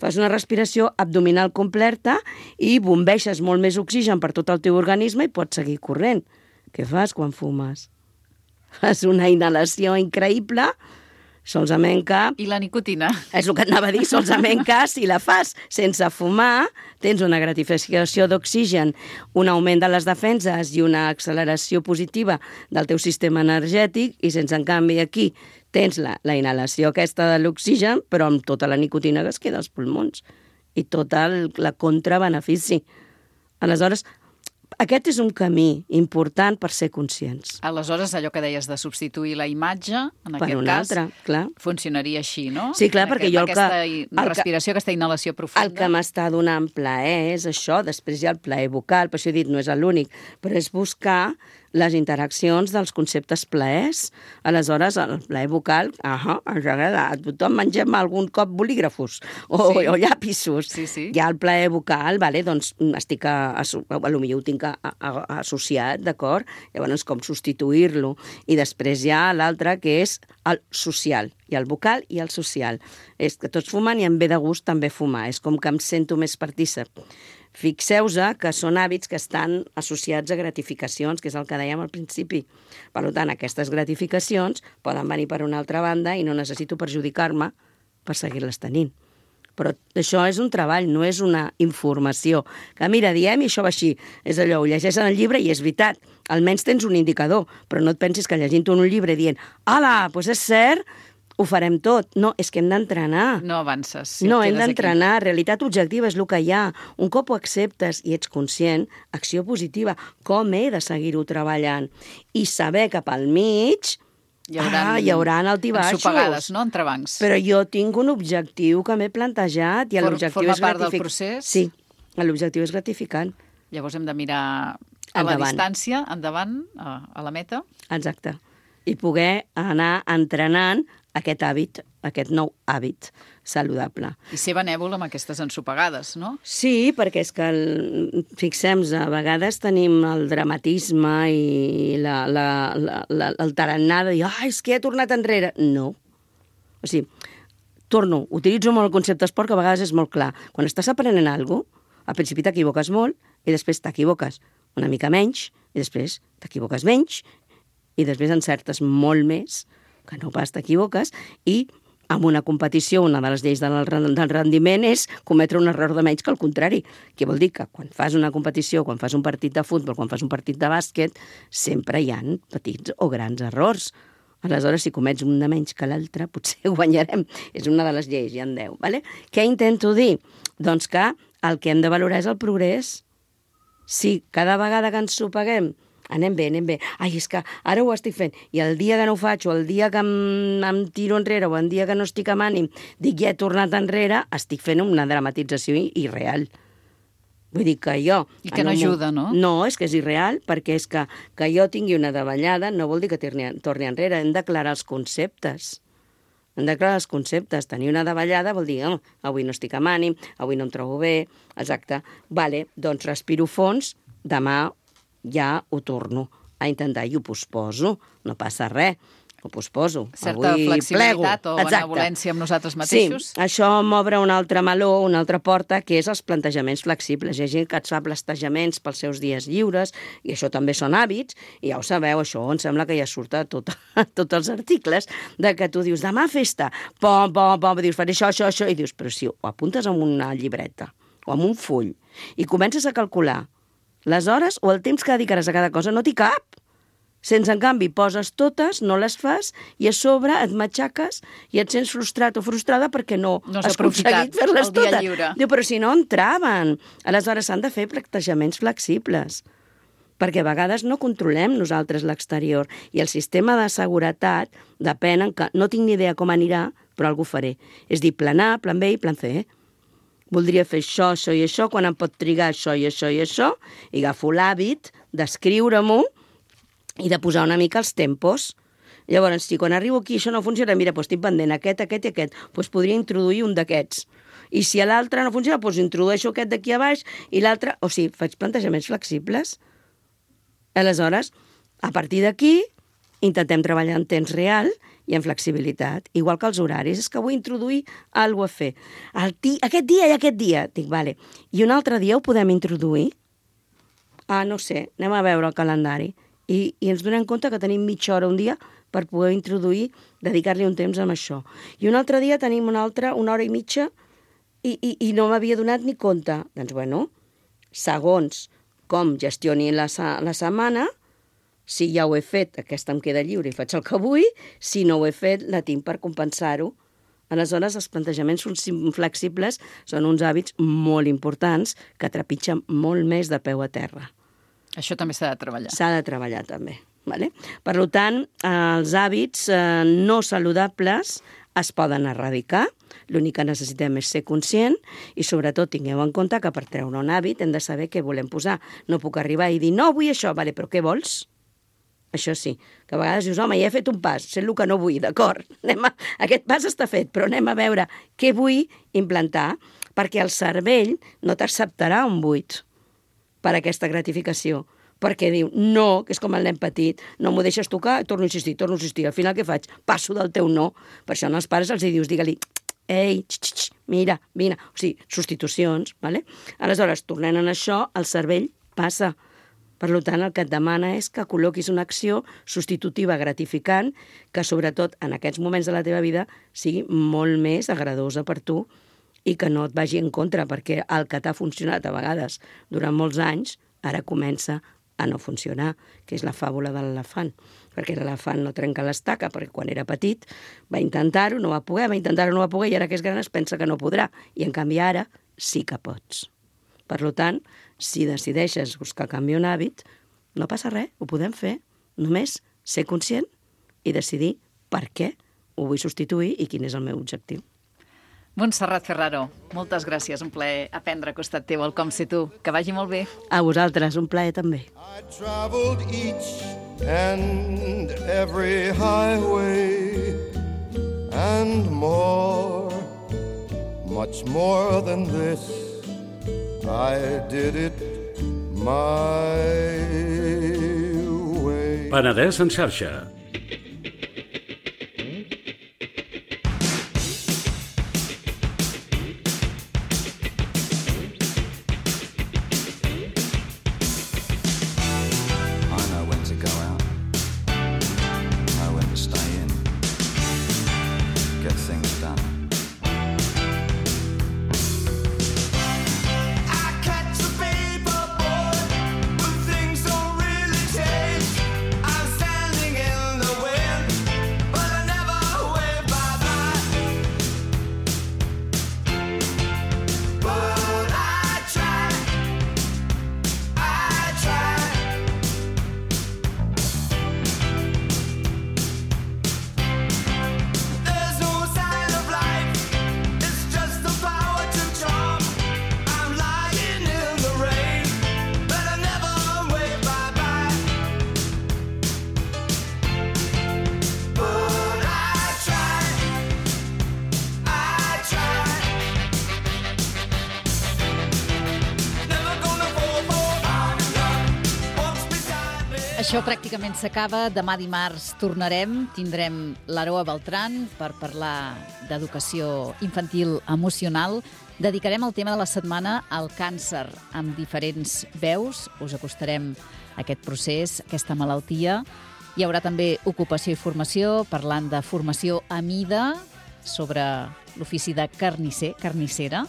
Fas una respiració abdominal completa i bombeixes molt més oxigen per tot el teu organisme i pots seguir corrent. Què fas quan fumes? Fas una inhalació increïble, solament que... I la nicotina. És el que et anava a dir, solament que si la fas sense fumar, tens una gratificació d'oxigen, un augment de les defenses i una acceleració positiva del teu sistema energètic, i sense, en canvi, aquí tens la, la inhalació aquesta de l'oxigen, però amb tota la nicotina que es queda als pulmons i tota el la contrabenefici. Aleshores, aquest és un camí important per ser conscients. Aleshores, allò que deies de substituir la imatge, en per aquest cas, altra, clar. funcionaria així, no? Sí, clar, en perquè aquest, jo el que... Aquesta respiració, aquesta inhalació profunda. El que m'està donant plaer és això, després hi ha el plaer vocal, per això he dit, no és l'únic, però és buscar les interaccions dels conceptes plaers. Aleshores, el plaer vocal, ah, ens agrada. A tothom mengem algun cop bolígrafos o, sí. o llapisos. Sí, sí. Hi ha el plaer vocal, vale? Doncs estic a, a, a, a lo millor ho tinc a, a, a, associat, d'acord? Llavors, com substituir-lo. I després hi ha l'altre, que és el social. Hi ha el vocal i el social. És que tots fumen i em ve de gust també fumar. És com que em sento més partícip. Fixeu-vos que són hàbits que estan associats a gratificacions, que és el que dèiem al principi. Per tant, aquestes gratificacions poden venir per una altra banda i no necessito perjudicar-me per seguir-les tenint. Però això és un treball, no és una informació. Que mira, diem i això va així. És allò, ho llegeixes en el llibre i és veritat. Almenys tens un indicador, però no et pensis que llegint un llibre dient «Ala, doncs és cert», ho farem tot. No, és que hem d'entrenar. No avances. Si no, hem d'entrenar. Aquí. Realitat objectiva és el que hi ha. Un cop ho acceptes i ets conscient, acció positiva. Com he de seguir-ho treballant? I saber que pel mig Hi haurà, ah, hi haurà altibaixos. Ensopegades, no?, entre bancs. Però jo tinc un objectiu que m'he plantejat i l'objectiu Forma és part gratific... del procés? Sí, l'objectiu és gratificant. Llavors hem de mirar a Endavant. la distància, endavant, a, a la meta. Exacte. I poder anar entrenant aquest hàbit, aquest nou hàbit saludable. I ser benèvol amb aquestes ensopegades, no? Sí, perquè és que, el, fixem-nos, a vegades tenim el dramatisme i la, la, la, la, el tarannà de dir, ah, és que he tornat enrere. No. O sigui, torno, utilitzo molt el concepte esport, que a vegades és molt clar. Quan estàs aprenent alguna cosa, al principi t'equivoques molt i després t'equivoques una mica menys i després t'equivoques menys i després encertes molt més que no pas t'equivoques i en una competició, una de les lleis del, del rendiment és cometre un error de menys que el contrari. Que vol dir que quan fas una competició, quan fas un partit de futbol, quan fas un partit de bàsquet, sempre hi ha petits o grans errors. Aleshores, si comets un de menys que l'altre, potser guanyarem. És una de les lleis, ja en deu. Vale? Què intento dir? Doncs que el que hem de valorar és el progrés. Si cada vegada que ens sopeguem anem bé, anem bé. Ai, és que ara ho estic fent. I el dia que no ho faig, o el dia que em, em tiro enrere, o el dia que no estic amb ànim, dic, ja he tornat enrere, estic fent una dramatització irreal. Vull dir que jo... I que no ajuda, no? No, és que és irreal, perquè és que, que jo tingui una davallada no vol dir que torni, torni enrere. Hem d'aclarar els conceptes. Hem d'aclarar els conceptes. Tenir una davallada vol dir, oh, avui no estic amb ànim, avui no em trobo bé, exacte. Vale, doncs respiro fons, demà ja ho torno a intentar i ho posposo. No passa res, ho posposo. Certa avui flexibilitat plego. o benevolència amb nosaltres mateixos. Sí, això m'obre una altra meló, una altra porta, que és els plantejaments flexibles. Hi ha gent que et fa plantejaments pels seus dies lliures, i això també són hàbits, i ja ho sabeu, això em sembla que ja surt a, tot, a tots els articles, de que tu dius, demà festa, pom, pom, pom, dius, faré això, això, això, i dius, però si ho apuntes en una llibreta o en un full i comences a calcular les hores o el temps que dedicaràs a cada cosa, no t'hi cap. Sense, en canvi, poses totes, no les fas, i a sobre et matxaques i et sents frustrat o frustrada perquè no, no has aconseguit fer-les totes. lliure. Diu, però si no entraven. Aleshores s'han de fer plantejaments flexibles, perquè a vegades no controlem nosaltres l'exterior, i el sistema de seguretat depèn en que no tinc ni idea com anirà, però algú faré. És dir, plan A, plan B i plan C. Voldria fer això, això i això, quan em pot trigar això i això i això, i agafo l'hàbit d'escriure-m'ho i de posar una mica els tempos. Llavors, si quan arribo aquí això no funciona, mira, doncs estic pendent aquest, aquest i aquest, doncs podria introduir un d'aquests. I si a l'altre no funciona, doncs introdueixo aquest d'aquí a baix i l'altre... O sigui, faig plantejaments flexibles. Aleshores, a partir d'aquí, intentem treballar en temps real i en flexibilitat. Igual que els horaris, és que vull introduir alguna cosa a fer. El ti... Aquest dia i aquest dia. Dic, vale. I un altre dia ho podem introduir? Ah, no sé, anem a veure el calendari. I, i ens donem compte que tenim mitja hora un dia per poder introduir, dedicar-li un temps amb això. I un altre dia tenim una altra, una hora i mitja, i, i, i no m'havia donat ni compte. Doncs, bueno, segons com gestioni la, la setmana, si ja ho he fet, aquesta em queda lliure i faig el que vull, si no ho he fet, la tinc per compensar-ho. Aleshores, els plantejaments flexibles són uns hàbits molt importants que trepitgen molt més de peu a terra. Això també s'ha de treballar. S'ha de treballar també. Vale? Per tant, els hàbits eh, no saludables es poden erradicar. L'únic que necessitem és ser conscient i, sobretot, tingueu en compte que per treure un hàbit hem de saber què volem posar. No puc arribar i dir, no, vull això, vale, però què vols? Això sí, que a vegades dius, home, ja he fet un pas, sé el que no vull, d'acord, a... aquest pas està fet, però anem a veure què vull implantar, perquè el cervell no t'acceptarà un buit per aquesta gratificació, perquè diu, no, que és com el nen petit, no m'ho deixes tocar, torno a insistir, torno a insistir, al final què faig? Passo del teu no. Per això als pares els dius, digue-li, ei, x, x, x, mira, vine, o sigui, substitucions, vale? Aleshores, tornant a això, el cervell passa. Per tant, el que et demana és que col·loquis una acció substitutiva gratificant que, sobretot, en aquests moments de la teva vida, sigui molt més agradosa per tu i que no et vagi en contra, perquè el que t'ha funcionat a vegades durant molts anys, ara comença a no funcionar, que és la fàbula de l'elefant. Perquè l'elefant no trenca l'estaca, perquè quan era petit va intentar-ho, no va poder, va intentar-ho, no va poder, i ara que és gran es pensa que no podrà. I, en canvi, ara sí que pots. Per tant, si decideixes buscar canviar un hàbit, no passa res, ho podem fer. Només ser conscient i decidir per què ho vull substituir i quin és el meu objectiu. Montserrat Ferraro, moltes gràcies, un plaer aprendre a costat teu el Com Ser Tu. Que vagi molt bé. A vosaltres, un plaer també. I traveled each and every highway and more, much more than this. I did it my way. Penedès en xarxa. Això pràcticament s'acaba. Demà dimarts tornarem. Tindrem l'Aroa Beltran per parlar d'educació infantil emocional. Dedicarem el tema de la setmana al càncer amb diferents veus. Us acostarem a aquest procés, aquesta malaltia. Hi haurà també ocupació i formació, parlant de formació a mida sobre l'ofici de carnisser, carnissera.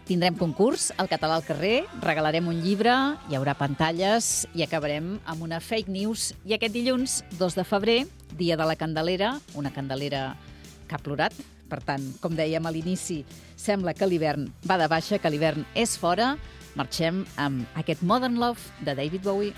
Tindrem concurs, el català al carrer, regalarem un llibre, hi haurà pantalles i acabarem amb una fake news. I aquest dilluns, dos de febrer, dia de la Candelera, una Candelera que ha plorat. Per tant, com dèiem a l'inici, sembla que l'hivern va de baixa, que l'hivern és fora. Marxem amb aquest Modern Love de David Bowie.